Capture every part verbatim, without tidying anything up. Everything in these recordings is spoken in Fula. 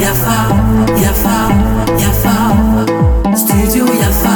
Yafa, Yafa, Yafa, Studio Yafa.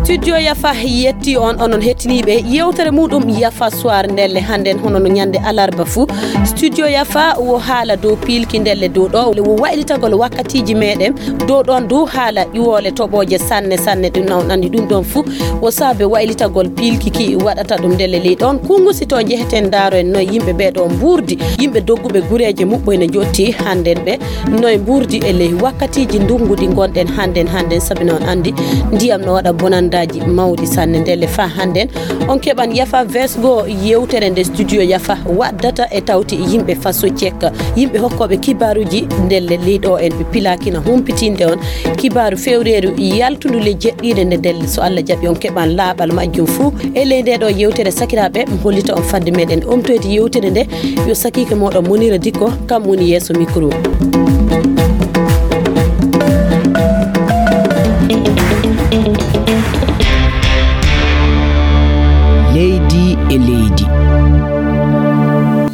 Studio Yafa yetti on, onon hettiniiɓe yewtere muɗum Yafa Soir ndelle hannden, hono no ñande alarba fuu. Studio Yafa wo haala dow piilki ndelle dow ɗo, wo waylitagol wakkatiiji meɗen. Dow ɗon du haala ƴuwoole toɓooje sanne sanne, ɗum nawɗani ɗum ɗon fuu. Wo saabe waylitagol piilki ki waɗata ɗum ndelle ley ɗon. Kunngusi to njeheten ndaaro en noy yimɓe ɓee ɗo mbuurdi. Yimɓe dogguɓe gureeje muɓɓoy ne njotti hannden ɓe. Noy mbuurdi e ley wakkatiiji ndungu ɗi ngonɗen hannden, hannden sabi noon anndi ndiyam no waɗa bonandaaji mawɗi sanne ndelle faa hannden. On keɓan Yafa Vesgo yewtere nde Studio Yafa waɗdata e tawti yimɓe faso cekka. Yimɓe hokkooɓe kibaaruuji ndelle ley ɗo en ɓe pilaakina humpitinde on kibaaru fewreeru yaltundu ley jeɗɗiire nde ndelle so Allah jaɓi on keɓan laaɓal majjum fuu. E ley nde ɗo yewtere sakiraaɓe mi hollita on fadde meɗen omtoyde yewtere nde yo sakiike moɗon Monira Dikko kam woni yeeso micro. Leydi e leydi.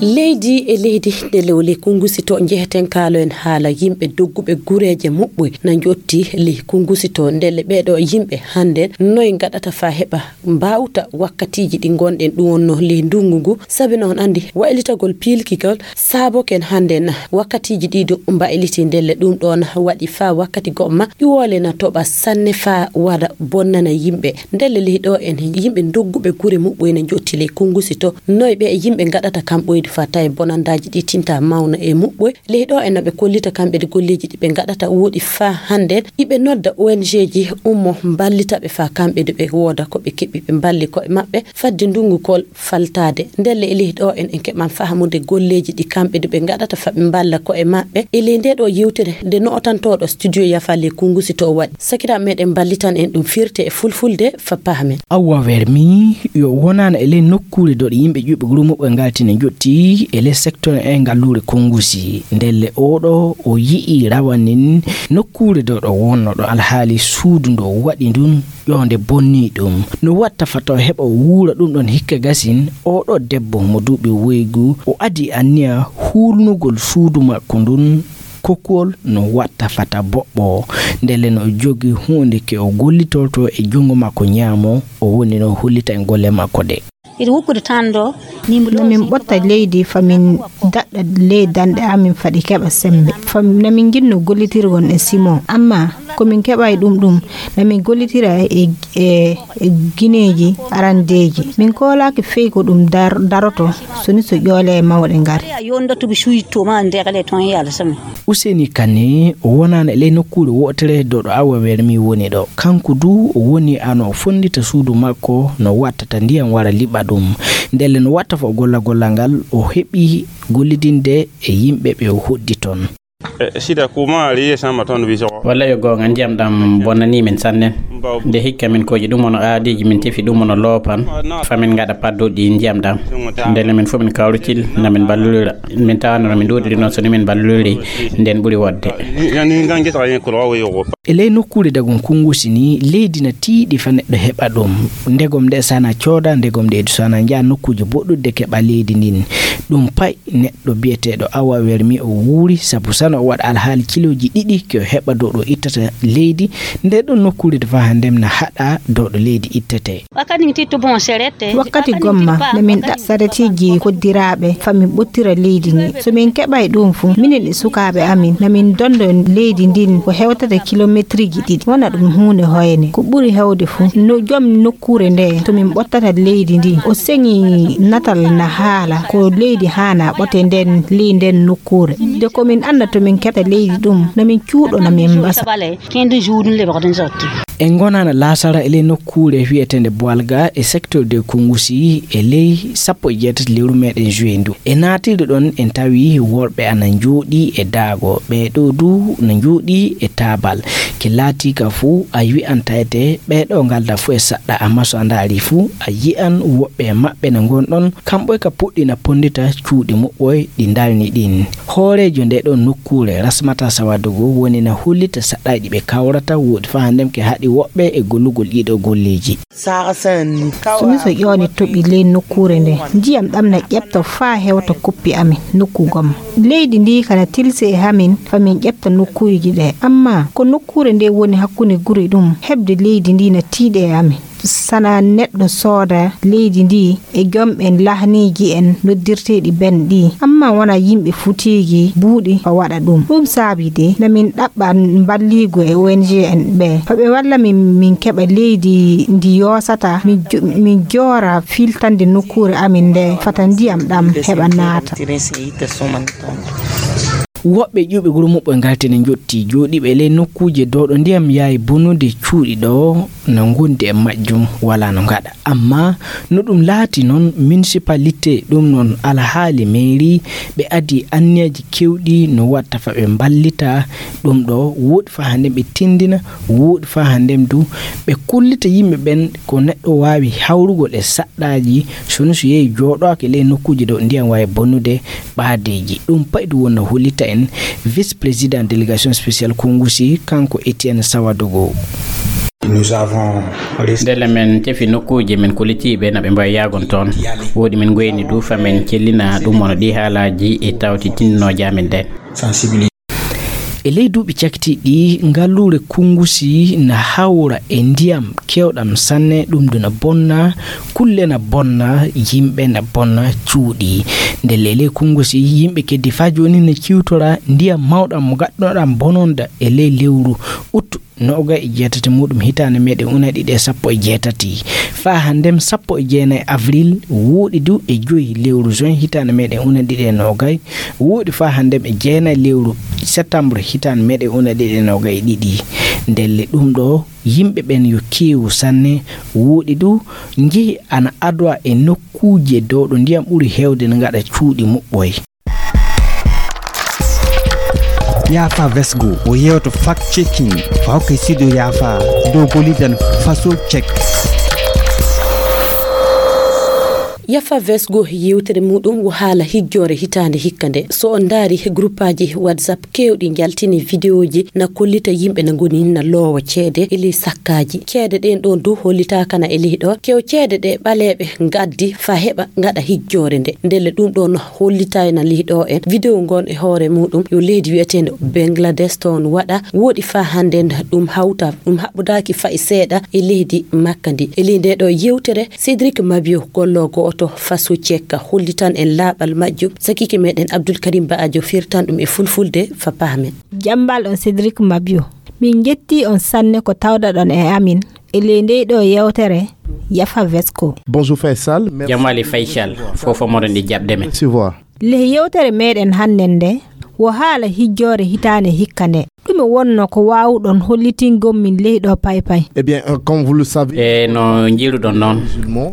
Leydi e leydi, nde lewle kunngusi to njeheten kaalo en haala yimɓe dogguɓe gureeje muɓɓoy na njotti ley kunngusi to ndelle ɓee ɗo yimɓe hannden noy ngaɗata faa heɓa mbaawta wakkatiiji ɗi ngonɗen ɗum wonno ley ndungu ngu. Sabi noon anndi waylitagol piilkigol saaboken hannden wakkatiiji ɗi ɗum mbayliti ndelle ɗum ɗoon waɗi faa wakkati goɗma ƴuwoole na toɓa sanne faa waɗa bonnana yimɓe. Ndelle ley ɗo en yimɓe dogguɓe gure muɓɓoy na njotti ley kunngusi to noy ɓe yimɓe ngaɗata kam ɓoyde faa tawi bonandaaji ɗi tinta mawna e muɓɓoy. Ley ɗo en no ɓe kollita kamɓe de golleeji ɗi ɓe ngaɗata woɗi faa hannden iɓe nodda O N G ji ummo mballita ɓe faa kamɓe de ɓe wooda ko ɓe keɓi ɓe mballi koye maɓɓe fadde ndungu kol faltaade. Ndelle e ley ɗo en en keɓan fahamude golleeji ɗi kamɓe de ɓe ngaɗata faa ɓe mballa koye maɓɓe. E ley nde ɗo yewtere nde nootantooɗo studio Yafa ley kunngusi to waɗi. Sakiraaɓe meɗen mballitan en ɗum firte e fulfulde faa pahamen. Awwa wermi yo wonano e ley nokkuure doɗe yimɓe ƴuɓe gure muɓɓe ngaltine jotti e ley secteur e ngalluure kunngusi. Ndelle oɗo o yi'i rawanin nokkuure doɗo wonno ɗo alhaali suudu ndo waɗi ndun ƴoonde bonni ɗum. No watta fata o heɓa o wuura ɗum ɗon hikka gasin oɗo debbo mo duuɓi woygu o adi anniya huulnugol suudu makko ndun. Kokkuwol no watta fata boɓɓo. Ndelle no jogi huunde ke o gollitorto e junngo makko ñaamo, o woni no hollita en golle makko ɗe. Iri wukkude tan ɗo. Nomin ɓotta leydi famin daɗɗa ley danɗe amin faɗi keɓa sembe. Fam namin jinno gollitirgon e simon amma komin keɓay ɗum ɗum namin gollitira e e e gineeji arandeeji. Min koolaaki fey ko ɗum dar daroto so ni so ƴoole e mawɗe ngari. Yo ndottuɓe suuji to ma ndekale toon yaala sami. Useni kane o wonaano e ley nokkuure wootere dow ɗo awa wermi woni ɗo. Kanko du o woni ano o fonndita suudu makko no wattata ndiyam wara liɓa ɗum. Ndelle no watta fof golla gollal ngal o heɓi gollidinde e yimɓe ɓe o hoɗdi toon. E sida kuma riye sama ton wiso. Walla yo goonga ndiyam ɗam bonnanii min sanne. Nde hikka min kooƴi ɗum wono aadiiji min tefi ɗum wono loopan. Fa min ngaɗa padduɗi ndiyam ɗam. Ndelle min fof min kawritil na min mballulira. Min tawanno no min ɗuuɗiri noon so ni min mballuliri nden ɓuri wodde. Ni ngan gesa yen kuro wawo yogo. E ley nokkuure dagon kunngusi ni leydi na tiiɗi fa neɗɗo heɓa ɗum. Ndegom nde sana cooda ndegom nde sana njaha nokkuuje boɗɗuɗe keɓa leydi ndin. Ɗum pay neɗɗo biyeteeɗo awa wermi o wuuri sabu sano o waɗa alhaali kilooji ɗiɗi ke o heɓa dow ɗo ittata leydi. Nde ɗon nokkuure de faha ndem na haɗa dow ɗo leydi ittete. Wakkati gomma no min ɗa saretiiji koddiraaɓe fa min ɓottira leydi ndi. So min keɓay ɗum fu minen e sukaaɓe amin na min dondo leydi ndin ko hewtata kilometriji ɗiɗi wona ɗum huunde hoyne. Ko ɓuri hewde fu no joom nokkuure nde to min ɓottata leydi ndi o seŋi natal na haala ko leydi haana ɓote nden ley nden nokkuure. De ko min annda to min keɓta leydi ɗum na min cuuɗo na min mbasa. E ngonana laasara e ley nokkuure wiyeteende Boalga e secteur de Kungusi e ley sappo e jeetati lewru meɗen juin ndu. E naatirde ɗon en tawi worɓe ana njooɗi e daago, ɓee ɗoo du na njooɗi e taabal. Ke laatiika fuu a wi'an tawete ɓee ɗoo ngalda fuu e saɗɗa amma so a ndaari fuu a yi'an woɓɓe e maɓɓe na ngon ɗon kamɓoy ka puɗɗi na ponndita cuuɗi muɓɓoy ɗi ndarni ɗin. Hooreejo Yo nde ɗo nokkuure Rasmata Sawadogo woni na hollita saɗɗaaji ɓe kawrata woodi faa hannden ke haɗi woɓɓe e gollugol ɗiɗo golleeji. Sunu so ƴooni toɓi ley nokkuure nde, ndiyam ɗam na ƴeɓta faa hewta koppi amin nokku gom. Leydi ndi kana tilsi e hamin fa min ƴeɓta nokkuuji ɗe. Amma ko nokkuure nde woni hakkunde guri ɗum, heɓde leydi ndi na tiiɗe e amin. Sana neɗɗo sooda leydi ndi e jom en lahniiji en noddirteeɗi ben ɗi, amma wona yimɓe futeeji buuɗi ko waɗa ɗum. Ɗum saabi de na min ɗaɓɓa mballiigu e O N G en ɓe. Ko ɓe walla min, min keɓa leydi ndi yoosata, min jo-, min joora filtande nokkuure amin nde fata ndiyam ɗam heɓa naata. Woɓɓe ƴuɓe guro muɓɓo ngaltini njotti jooɗiiɓe ley nokkuuje dowɗo ndiyam yaawi bonude cuuɗi ɗo no ngondi e majjum wala no ngaɗa. Amma no ɗum laati noon, municipalité ɗum noon alhaali mairie ɓe adii anniyaji kewɗi no watta fa ɓe mballita ɗum ɗo, wooɗi fa hannde ɓe tindina, wooɗi fa hannde du ɓe kollita yimɓe ɓen ko neɗɗo waawi hawrugol e saɗɗaaji, so no so yehi jooɗoake ley nokkuuje ɗo ndiyam waawi bonude ɓaadeeji. Ɗum paydu won no hollita en vice président délégation spéciale Kongusi, kanko Etienne Sawadogo. Ndelle men tefi nokkuuje men kollitiiɓe na ɓe mbawi yaagon toon. Woodi men goyni du fa men cellina ɗum wano ɗi haalaaji e tawti tindinooje amen ɗen. E ley duuɓi cakitiiɗi, ngalluure Kungusi na hawra e ndiyam keewɗam sanne, ɗum du na bonna, kulle na bonna, yimɓe na bonna, cuuɗi. Ndelle e ley Kungusi, yimɓe keddi faa jooni na ciwtora ndiyam mawɗam mo gaɗɗoɗam bononda e ley lewru uttu noogay e jeetati muɗum hitaande meɗen una ɗiɗi e sappo e jeetati. Faa hanndem sappo e jeenayi avril, wooɗi du e joyi lewru juin hitaande meɗen una ɗiɗi e noogay, wooɗi faa hanndem e jeenayi lewru septembre hitaande meɗen una ɗiɗi e noogay e ɗiɗi. Ndelle ɗum ɗo yimɓe ɓen yo keewu sanne, wooɗi du njehi ana adowa e nokkuuje dow ɗo ndiyam ɓuri heewde no ngaɗa cuuɗi muɓɓoy. Yaafa Vesgo o yewto fact checking fa hokkay studio Yaafa dow gollidan faso check. Yafa Vesgo yewtere muɗum wo haala hijjoore hitaande hikka nde. So on ndaari he gruppaaji WhatsApp keewɗi njaltini videoji na kollita yimɓe na ngoni na loowa ceede e ley sakkaaji. Ceede ɗen ɗon du hollitaaka na e ley ɗo. Kew ceede ɗe ɓaleeɓe ngaddi fa heɓa ngaɗa hijjoore nde. Ndelle ɗum ɗon hollitayna ley ɗo en. Video ngon e hoore muɗum yo leydi wi'eteende Bangladesh toon waɗa. Wooɗi faa hannden ɗum hawta, ɗum haɓɓodaaki fay seeɗa e leydi Makka ndi. E ley nde ɗo yewtere, Cédric Mabio, gollo go'oto faso cekka, hollitan en laaɓal majjum. Sakiike meɗen Abdul Karim Ba'ajo firtan ɗum e fulfulde fa paamen. Jambal on Cédric Mabio. Min njetti on sanne ko tawdaɗon e amin e ley ndey ɗo yewtere Yafa Vesco. Bonjour Faisal. Merci. Jam wali Faisal. Fof moɗon ɗi jaɓde men. Recevoir. Ley yewtere meɗen hannden nde, wo haala hijjoore hitaande hikka nde. Ɗume wonno ko waawuɗon hollitingol min ley ɗo paypay? Eh bien, euh, comme vous le savez, e no njiiruɗon noon,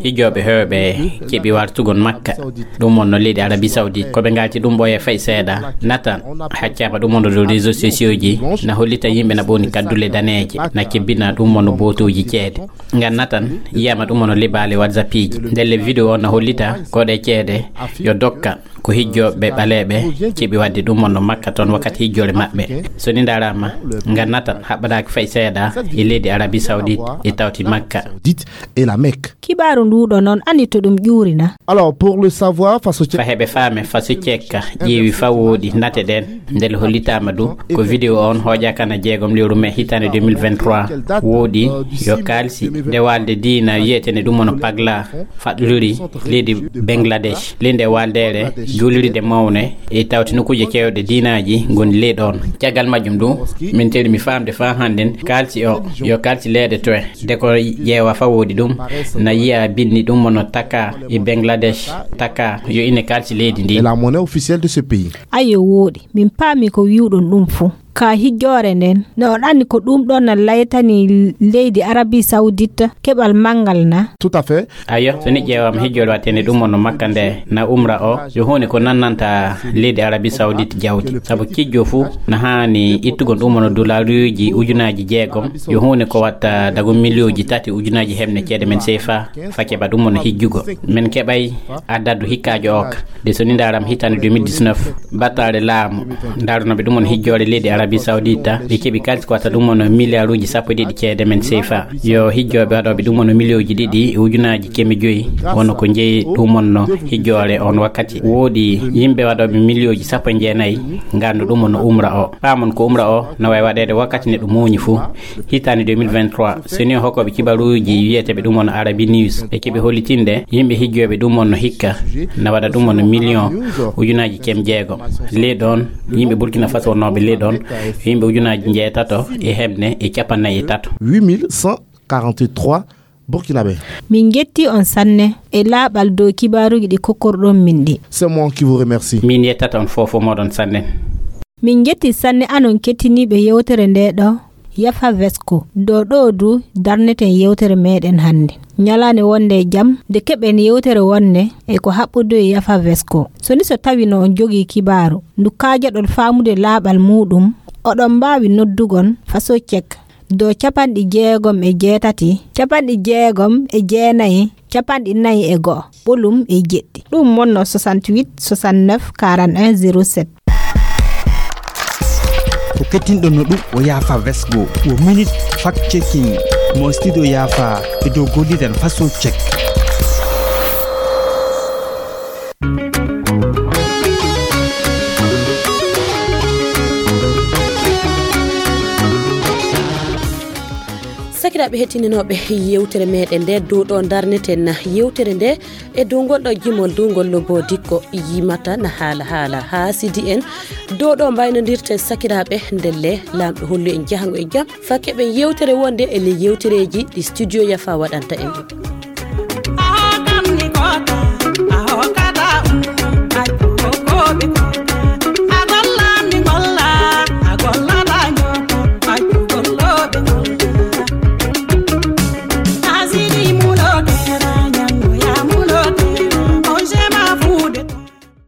hijjooɓe heewɓe keɓi wartugol Makka. Ɗum wonno leydi Arabie Saoudite. Ko ɓe ngalti ɗum ɓooye fay seeɗa. Natan, haccaama ɗum wonno dow réseaux sociaux ji, na hollita yimɓe na ɓooni kaddule daneeje, na kebbina ɗum wonno bootooji ceede. Ngan Natan, yiyama ɗum wonno libaale WhatsApp ji. Ndelle video on na hollita ko ɗe ceede yo dokka ko hijjooɓe ɓaleeɓe keɓi waɗde ɗum wonno Makka toon wakkati hijjoore maɓɓe. So ni ndaarama, ngan Natan haɓɓadaaki fay seeɗa e leydi Arabie Saoudite e tawti Makka. Saoudite et la Mecque. Kibaaru nduɗo noon, anndi to ɗum ƴuurina? Alors, pour le savoir, faso cekka. Fa heɓe faame, faso cekka ƴeewi fa wooɗi nate ɗen. Ndel hollitaama du ko video on hooƴaaka na jeegom lewru mai hitaande deux mille vingt-trois. Wooɗi yo kaalsi nde walde diina wi'eteende ɗum wonno Pagla faɗɗori leydi Bangladesh. Ley nde waldeere juulirde mawne e tawti nokkuuje keewɗe diinaaji ngoni ley ɗon. Caggal majjum du, min teri mi faamde faa hannden kaalsi o yo kaalsi leyɗe toye. Nde ko ƴeewa fa wooɗi ɗum, na yi'a binndi ɗum wonno Taka e Bangladesh, Taka yo ine kaalsi leydi ndi. Et la monnaie officielle de ce pays. Ayo wooɗi, min paami ko wi'uɗon ɗum fuu. Ka hijjoore nden, no on anndi ko ɗum ɗon na laytani leydi Arabie Saoudite keɓal manngal na? Tout à fait. Ayo, so ni ƴeewama hijjoore waɗteende ɗum on no Makka nde na umra o, yo huunde ko nannanta leydi Arabie Saoudite jawdi. Sabu kijjo fuu na haani ittugol ɗum on dolaruuji ujunaaji jeegom, yo huunde ko watta dago miliyooji tati ujunaaji heɓne ceede men seefa, fa keɓa ɗum on hijjugo. Men keɓay adadu hikkaajo o ka. De so ni ndaaram hitaande deux mille dix-neuf, battaare laamu ndaarunooɓe ɗum on hijjoore leydi Arabie Saoudite, ɓe keɓi kaalis ko watta ɗum on miliyaaruuji sappo e ɗiɗi ceede men seefa. Yo hijjooɓe waɗooɓe ɗum on miliyooji ɗiɗi e ujunaaji keme joyi, wono ko jeyi ɗum on no hijjoore on wakkati. Woodi yimɓe waɗooɓe miliyooji sappo e jeenayi ngandu ɗum on umra o. Paamon ko umra o no wayi waɗeede wakkati nde ɗum muuñi fuu. Hitaande deux mille vingt-trois, so ni hokkooɓe kibaruuji wiyeteeɓe ɗum on Arabi News, ɓe keɓi hollitinde yimɓe hijjooɓe ɗum on no hikka na waɗa ɗum on million ujunaaji kem jeego. Leydi on, yimɓe Burkina Faso wonnooɓe leydi on, yimɓe ujunaaji njeetato e heɓne e cappannayi e tato. Huit mille cent quarante-trois Burkinabé. Min njetti on sanne e laaɓal dow kibaaruuji ɗi kokkorɗon min ɗi. C'est moi qui vous remercie. Min yettata on fof fof moɗon sanne. Min njetti sanne anon kettiniiɓe yewtere nde ɗo Yafa Vesko. Dow ɗo du darneten yewtere meɗen hannde. Ñalaande wonde e jam, nde keɓen yewtere wonde e ko haɓɓudu e Yafa Vesko. So ni so tawi no on jogii kibaaru, ndu kaajaɗon faamude laaɓal muuɗum, oɗon mbaawi noddugon faso cek dow capanɗe jeegom e jeetati, capanɗe jeegom e jeenayi, capanɗe nayi e go'o, ɓolum e jeɗɗi. Ɗum wonno soixante-huit soixante-neuf quarante et un zéro sept. Ko kettinɗon no ɗum o Yaafa Vesgo, o minute fact checking mo studio Yaafa e dow golliren faso check. Sakiraaɓe hettinanooɓe yewtere meɗen nde, dow ɗo darneten yewtere nde e dow ngol ɗo jimol, dow ngol lobo dikko yimata na haala haala haa sidi en. Dow ɗo mbaynodirten sakiraaɓe ndelle, Laamɗo hollu en jahango e jam, fakke ɓen yewtere wonde e ley yewtereeji ɗi studio Yafa waɗanta en ɗum.